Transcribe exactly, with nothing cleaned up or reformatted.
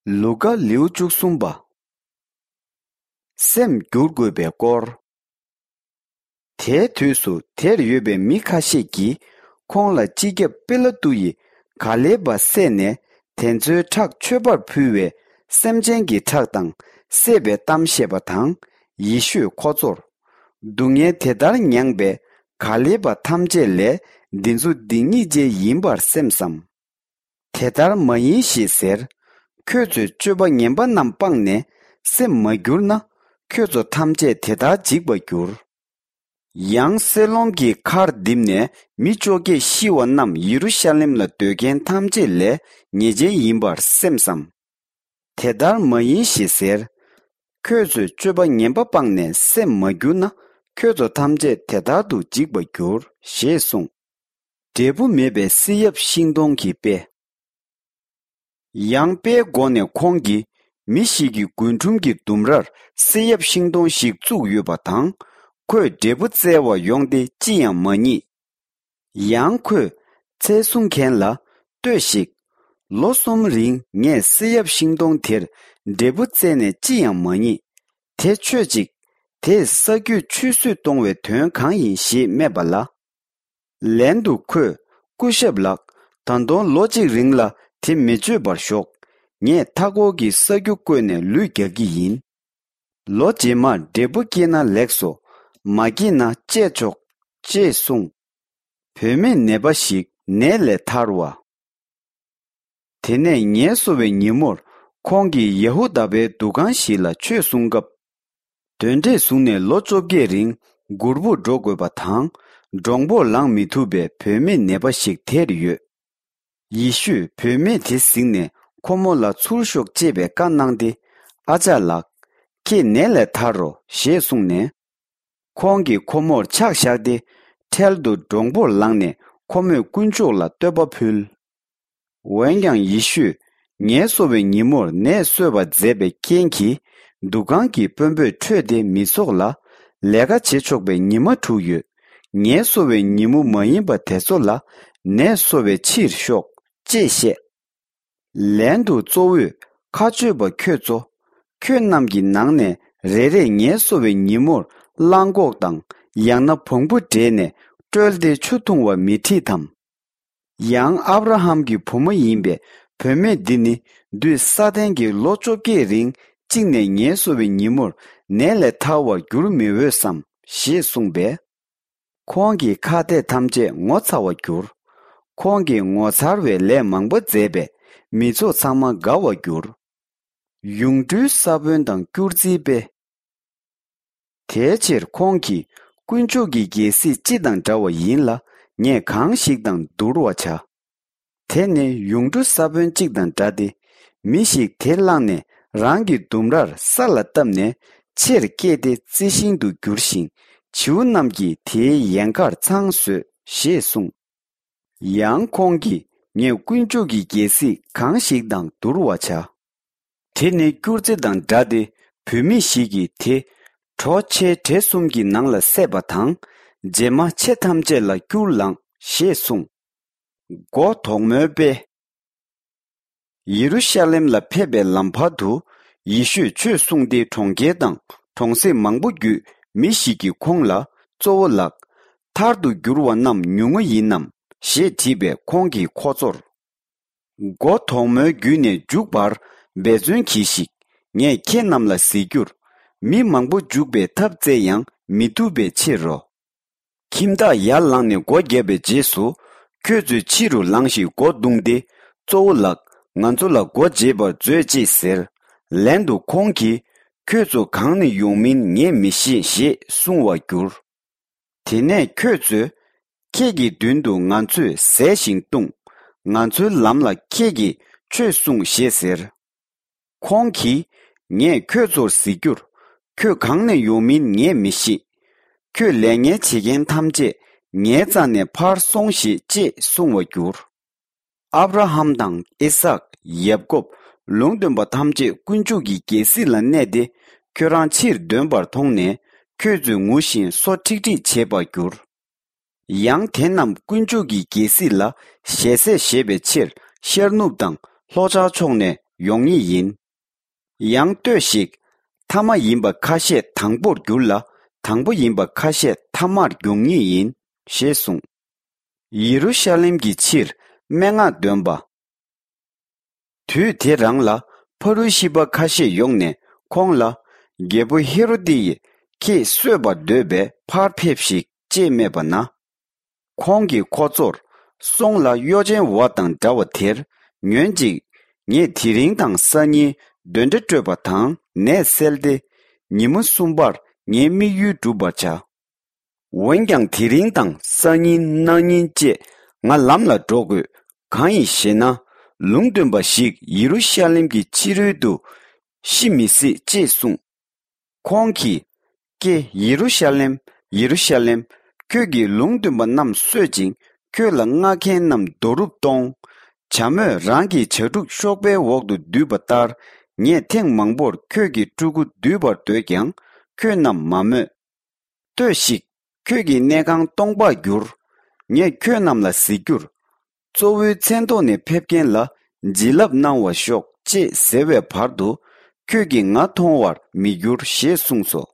ལུ་ཀ། ལེའུ་བཅུ་གསུམ་པ། སེམས་བསྒྱུར་དགོས་པའི་སྐོར། དེའི་དུས་སུ་དེར་ཡོད་པའི་མི་ཁ་ཤས་ཀྱིས་ཁོང་ལ་སྤྱི་ཁྱབ་པི་ལ་ཏུ་ཡིས་ག་ལེ་བ་བསད་ནས་དེ་ཚོའི་ཁྲག་མཆོད་པར་ཕུལ་བའི་སེམས་ཅན་གྱི་ཁྲག་དང་བསྲེས་པའི་གཏམ་བཤད་པ་དང་། ཡེ་ཤུས་ཁོ་ཚོར། སྡུག་བསྔལ་དེ་ལྟར་མྱངས་པའི་ག་ལེ་བ་ཐམས་ཅད་ལས་འདི་ཚོ་སྡིག་ཉེས་ཅན་ཡིན་པར་སེམས་སམ། དེ་ལྟར་མ་ཡིན་ཞེས་ཟེར། ཁྱོད་ཚོས་སྤྱོད་པ་ངན་པ་རྣམས་སྤངས་ནས་སེམས་མ་བསྒྱུར་ན། ཁྱོད་ཚོ་ཐམས་ཅད་དེ་ལྟར་འཇིག་པར་འགྱུར། ཡང་སེ་ལོམ་གྱི་མཁར་རྡིབ་ནས་མི་བཅོ་བརྒྱད་ཤི་བ་རྣམས་ཡེ་རུ་ཤ་ལེམ་ལ་སྡོད་མཁན་ཐམས་ཅད་ལས་ཉེས་ཅན་ཡིན་པར་སེམས་སམ། དེ་ལྟར་མ་ཡིན་ཞེས་ཟེར། ཁྱོད་ཚོས་སྤྱོད་པ་ངན་པ་སྤངས་ནས་སེམས་མ་བསྒྱུར་ན། ཁྱོད་ཚོ་ཐམས་ཅད་དེ་ལྟར་དུ་འཇིག་པར་འགྱུར་ཞེས་གསུངས། འབྲས་བུ་མེད་པའི་བསེ་ཡབ་ཤིང་སྡོང་གི་དཔེ། ཡང་དཔེའི་སྒོ་ནས་ཁོང་གིས། མི་ཞིག་གི་རྒུན་འབྲུམ་གྱི་ལྡུམ་རར་བསེ་ཡབ་ཤིང་སྡོང་ཞིག་བཙུགས་ཡོད་པ་དང་། ཁོས་འབྲས་བུ་བཙལ་བར་ཡོང་སྟེ་ཅི་ཡང་མ་རྙེད། ཡང་ཁོས་ཚལ་སྲུང་མཁན་ལ། ལྟོས་ཤིག། ལོ་གསུམ་རིང་ངས་བསེ་ཡབ་ཤིང་སྡོང་དེར་འབྲས་བུ་བཙལ་ནས་ཅི་ཡང་མ་རྙེད། དེ་མཆོད་ཅིག། དེས་ས་རྒྱུས་ཆུད་ཟོས་གཏོང་བའི་དོན་གང་ཡིན་ཞེས་སྨྲས་པ་ལ། ལན་དུ་ཁོས། སྐུ་ཞབས་ལགས། ད་དུང་ལོ་གཅིག་རིང་ལ་དེ་མི་མཆོད་པར་ཞོག། ངས་མཐའ་འཁོར་གྱི་ས་རྒྱུ་བརྐོས་ནས་ལུད་རྒྱག་གི་ཡིན། ལོ་རྗེས་མར་འབྲས་བུ་སྐྱེས་ན་ལེགས་སོ། མ་སྐྱེས་ན་བཅད་ཆོག། ཅེས་གསུངས། བུད་མེད་ནད་པ་ཞིག་ནད་ལས་ཐར་བ། དེ་ནས་ངལ་གསོ་བའི་ཉིན་མོར་ཁོང་གིས་ཡ་ཧུ་དཱ་པའི་འདུ་ཁང་ཞིག་ལ་ཆོས་གསུང་སྐབས། གདོན་འདྲེས་བཟུང་ནས་ལོ་བཅོ་བརྒྱད་རིང་སྒུར་པོར་འགྲོ་དགོས་པ་དང་། མགྲོན་པོར་ལངས་མི་ཐུབ་པའི་བུད་མེད་ནད་པ་ཞིག་དེར་ཡོད། ཡེ་ཤུས་བུད་མེད་དེ་གཟིགས་ནས་ཁོ་མོ་ལ་ཚུར་ཤོག་ཅེས་པའི་བཀའ་གནང་སྟེ། ཨ་ཅག་ལགས། ཁྱེད་ནད་ལས་ཐར་རོ་ཞེས་གསུངས་ནས། ཁོང་གིས་ཁོ་མོར་ཕྱག་བཞག་སྟེ། འཕྲལ་དུ་མགྲོན་པོར་ལངས་ནས་ཁོ་མོས་དཀོན་མཆོག་ལ་བསྟོད་པ་ཕུལ། འོན་ཀྱང་ཡེ་ཤུས་ངལ་གསོ་བའི་ཉིན་མོར་ནད་གསོས་པ་མཛད་པའི་རྐྱེན་གྱིས། འདུ་ཁང་གི་དཔོན་པོས་ཁྲོས་ཏེ་མི་ཚོགས་ལ། ལས་ཀ་བྱེད་ཆོག་པའི་ཉི་མ་དྲུག་ཡོད། ངལ་གསོ་བའི་ཉིན་མོ་མ་ཡིན་པ་དེ་ཚོ་ལ་ནད་གསོ་བའི་ཕྱིར་ཤོག་ཅེས་བཤད། ལན་དུ་གཙོ་བོས་མཁའ་སྤྱོད་པ་ཁྱོད་ཚོ། ཁྱོད་རྣམས་ཀྱི་ནང་ནས་རེ་རེས་ངལ་གསོ་བའི་ཉིན་མོར་གླང་གོག་དང་། ཡང་ན་བོང་བུ་བསྒྲལ་ནས་དཀྲོལ་ཏེ་ཆུ་འཐུང་བ་མི་ཁྲིད་དམ། ཡང་ཨབ་ར་ཧམ་གྱི་བུ་མོ་ཡིན་པའི་བུད་མེད་འདི་ནི། འདུས་ས་ཏན་གྱི་ལོ་བཅོ་བརྒྱད་རིང་གཅིག་ནས་ངལ་གསོ་བའི་ཉིན་མོར་ནད་ལས་ཐར་བར་འགྱུར་མི་འོས་སམ་ཞེས་གསུངས་པས། ཁོང་གི་ཁ་གཏད་ཐམས་ཅད་ངོ་ཚ་བར་གྱུར། ཁོང་གིས་ངོ་མཚར་བའི་ལས་མང་པོ་མཛད་པས་མི་ཚོགས་ཚང་མ་དགའ་བར་གྱུར། ཡུངས་འབྲུའི་ས་བོན་དང་སྐྱུར་རྩིའི་དཔེ། དེའི་ཕྱིར་ཁོང་གིས། དཀོན་མཆོག་གི་རྒྱལ་སྲིད་སྤྱི་དང་འདྲ་བ་ཡིན་ལ། ངས་གང་ཞིག་དང་བསྡུར་བར་བྱ། དེ་ནི་ཡུངས་འབྲུ་ས་བོན་གཅིག་དང་འདྲ་སྟེ། མི་ཞིག་དེ་བླངས་ནས་རང་གི་ལྡུམ་རར་ས་ལ་བཏབ་ནས་ཆེར་སྐྱེས་ཏེ་རྩི་ཤིང་དུ་འགྱུར་ཞིང་། བྱིའུ་རྣམས་ཀྱིས་དེའི་ཡལ་གར་ཚང་བཟོས་ཞེས་གསུངས། ཡང་ཁོང་གིས། ངས་དཀོན་མཆོག་གི་རྒྱལ་སྲིད་གང་ཞིག་དང་བསྡུར་བར་བྱ། དེ་ནི་སྐྱུར་རྩི་དང་འདྲ་སྟེ། བུད་མེད་ཞིག་གིས་དེ། གྲོ་ཆའི་བྲེ་གསུམ་གྱི་ནང་ལ་བསྲེས་པ་དང་། རྗེས་མ་ཆེ་ཐམས་ཅད་ལ་སྐྱུར་ལངས་ཞེས་གསུངས། མགོ་དོག་མོའི་དཔེ། ཡེ་རུ་ཤ་ལེམ་ལ་ཕེབས་པའི་ལམ་བར་དུ། ཡེ་ཤུས་ཆོས་གསུངས་ཏེ། གྲོང་ཁྱེར་དང་གྲོང་གསེབ་མང་པོ་བརྒྱུད་མི་ཞིག་གིས་ཁོང་ལ། གཙོ་བོ་ལགས། མཐར་ཐུག་འགྱུར་བ་རྣམས་ཉུང་ངུ་ཡིན་ནམ་ཞེས་དྲིས་པས། ཁོང་གིས་ཁོ་ཚོར། མགོ་དོག་མོའི་བརྒྱུད་ནས་མཇུག་བར་འབད་བརྩོན་གྱིས་ཤིག། ངས་ཁྱེད་རྣམས་ལ་ཟེར་རྒྱུར། མི་མང་པོ་འཇུག་པའི་ཐབས་བཙལ་ཡང་མི་ཐུབ་པའི་ཕྱིར་རོ། ཁྱིམ་བདག་ཡར་ལངས་ནས་སྒོ་བརྒྱབ་པའི་རྗེས་སུ། ཁྱོད་ཚོས་ཕྱི་རུ་ལངས་ཤིག། སྒོ་བརྡུངས་ཏེ། གཙོ་བོ་ལགས། ང་ཚོ་ལ་སྒོ་འབྱེད་པར་མཛོད་ཅེས་ཟེར། ལན་དུ་ཁོང་གིས། ཁྱོད་ཚོ་གང་ནས་ཡོང་མིན་ངས་མི་ཤེས་ཞེས་གསུང་བར་འགྱུར། དེ་ནས་ཁྱོད་ཚོས། ཁྱེད་ཀྱི་མདུན་དུ་ང་ཚོས་ཟས་ཤིང་བཏུང་། ང་ཚོའི་ལམ་ལ་ཁྱེད་ཀྱིས་ཆོས་གསུངས་ཞེས་ཟེར། ཁོང་གིས། ངས་ཁྱོད་ཚོར་ཟེར་རྒྱུར། ཁྱོད་གང་ནས་ཡོང་མིན་ངས་མི་ཤེས། ཁྱོད་ལས་ངན་བྱེད་མཁན་ཐམས་ཅད་ངའི་རྩ་ནས་ཕར་སོང་ཞིག་ཅེས་གསུང་བར་འགྱུར། ཨབ་ར་ཧམ་དང་ཨི་སཱག། ཡབ་ཀོབ། ལུང་སྟོན་པ་ཐམས་ཅད་དཀོན་མཆོག་གི་རྒྱལ་སྲིད་ལ་གནས་ཏེ། ཁྱོད་རང་ཕྱིར་འདོན་པར་མཐོང་ནས། ཁྱོད་ཚོས་ངུ་ཞིང་སོ་ཁྲིག་ཁྲིག་བྱེད་པར་འགྱུར། ཡང་དེ་རྣམས་དཀོན་མཆོག་གི་རྒྱལ་སྲིད་ལ་ཞལ་ཟས་བཞེས་པའི་ཕྱིར། ཤར་ནུབ་དང་ལྷོ་ཤར་ཕྱོགས་ནས་ ཡོང་ངེས་ཡིན། ཡང་ལྟོས་ཤིག། ཐ་མ་ཡིན་པ་ཁ་ཤས་དང་པོར་འགྱུར་ལ། དང་པོ་ཡིན་པ་ཁ་ཤས་ཐ་མར་འགྱུར་ངེས་ཡིན། ཞེས་གསུངས། ཡེ་རུ་ཤ་ལེམ་གྱི་ཕྱིར་སྨྲེ་སྔགས་འདོན་པ། དུས་དེ་རང་ལ་ཕ་རུ་ཤི་པ་ཁ་ཤས་ཡོང་ནས་ཁོང་ལ། རྒྱལ་པོ་ཧེ་རོ་དེ་ཡིས་ཁྱེད་གསོད་པར་འདོད་པས་ཕར་ཕེབས་ཤིག་ཅེས་སྨྲས་པ་ན། ཁོང་གིས་ཁོ་ཚོར། སོང་ལ་གཡོ་ཅན་བ་དང་འདྲ་བ་དེར་ཉོན་ཅིག། ངས་དེ་རིང་དང་སང་ཉིན་གདོན་འདྲེ་བཀྲོད་པ་དང་ནད་སེལ་ཏེ། ཉིན་མོ་གསུམ་པར་ངའི་དམིགས་ཡུལ་འགྲུབ་པར་བྱ། འོན་ཀྱང་དེ་རིང་དང་སང་ཉིན་གནངས་ཉིན་བཅས་ང་ལམ་ལ་འགྲོ་དགོས། གང་ཡིན་ཞེ་ན། ལུང་སྟོན་པ་ཞིག་ཡེ་རུ་ཤ་ལེམ་གྱི་ཕྱི་རོལ་དུ་ཤི་མི་སྲིད་ཅེས་གསུངས། ཁོང་གིས། ཀྱེ་ཡེ་རུ་ཤ་ལེམ། ཡེ་རུ་ཤ་ལེམ། ཁྱོད་ཀྱིས་ལུང་སྟོན་པ་རྣམས་གསོད་ཅིང་ཁྱོད་ལ་མངགས་མཁན་རྣམས་རྡོ་རུབ་གཏོང་། བྱ་མོས་རང་གི་བྱ་ཕྲུག་གཤོག་པའི་འོག་ཏུ་འདུས་པ་ལྟར། ངས་ཐེངས་མང་པོར་ཁྱོད་ཀྱི་ཕྲུ་གུ་འདུས་པར་འདོད་ཀྱང་ཁྱོད་རྣམས་མ་མོས། ལྟོས་ཤིག། ཁྱོད་ཀྱི་གནས་ཁང་སྟོང་པར་འགྱུར། ངས་ཁྱོད་རྣམས་ལ་གཟིགས་རྒྱུར། གཙོ་བོའི་མཚན་ཐོག་ནས་ཕེབས་མཁན་ལ་བྱིན་རླབས་གནང་བར་ཤོག་ཅེས་ཟེར་བའི་བར་དུ། ཁྱོད་ཀྱིས་ང་མཐོང་བར་མི་འགྱུར་ཞེས་གསུངས་སོ།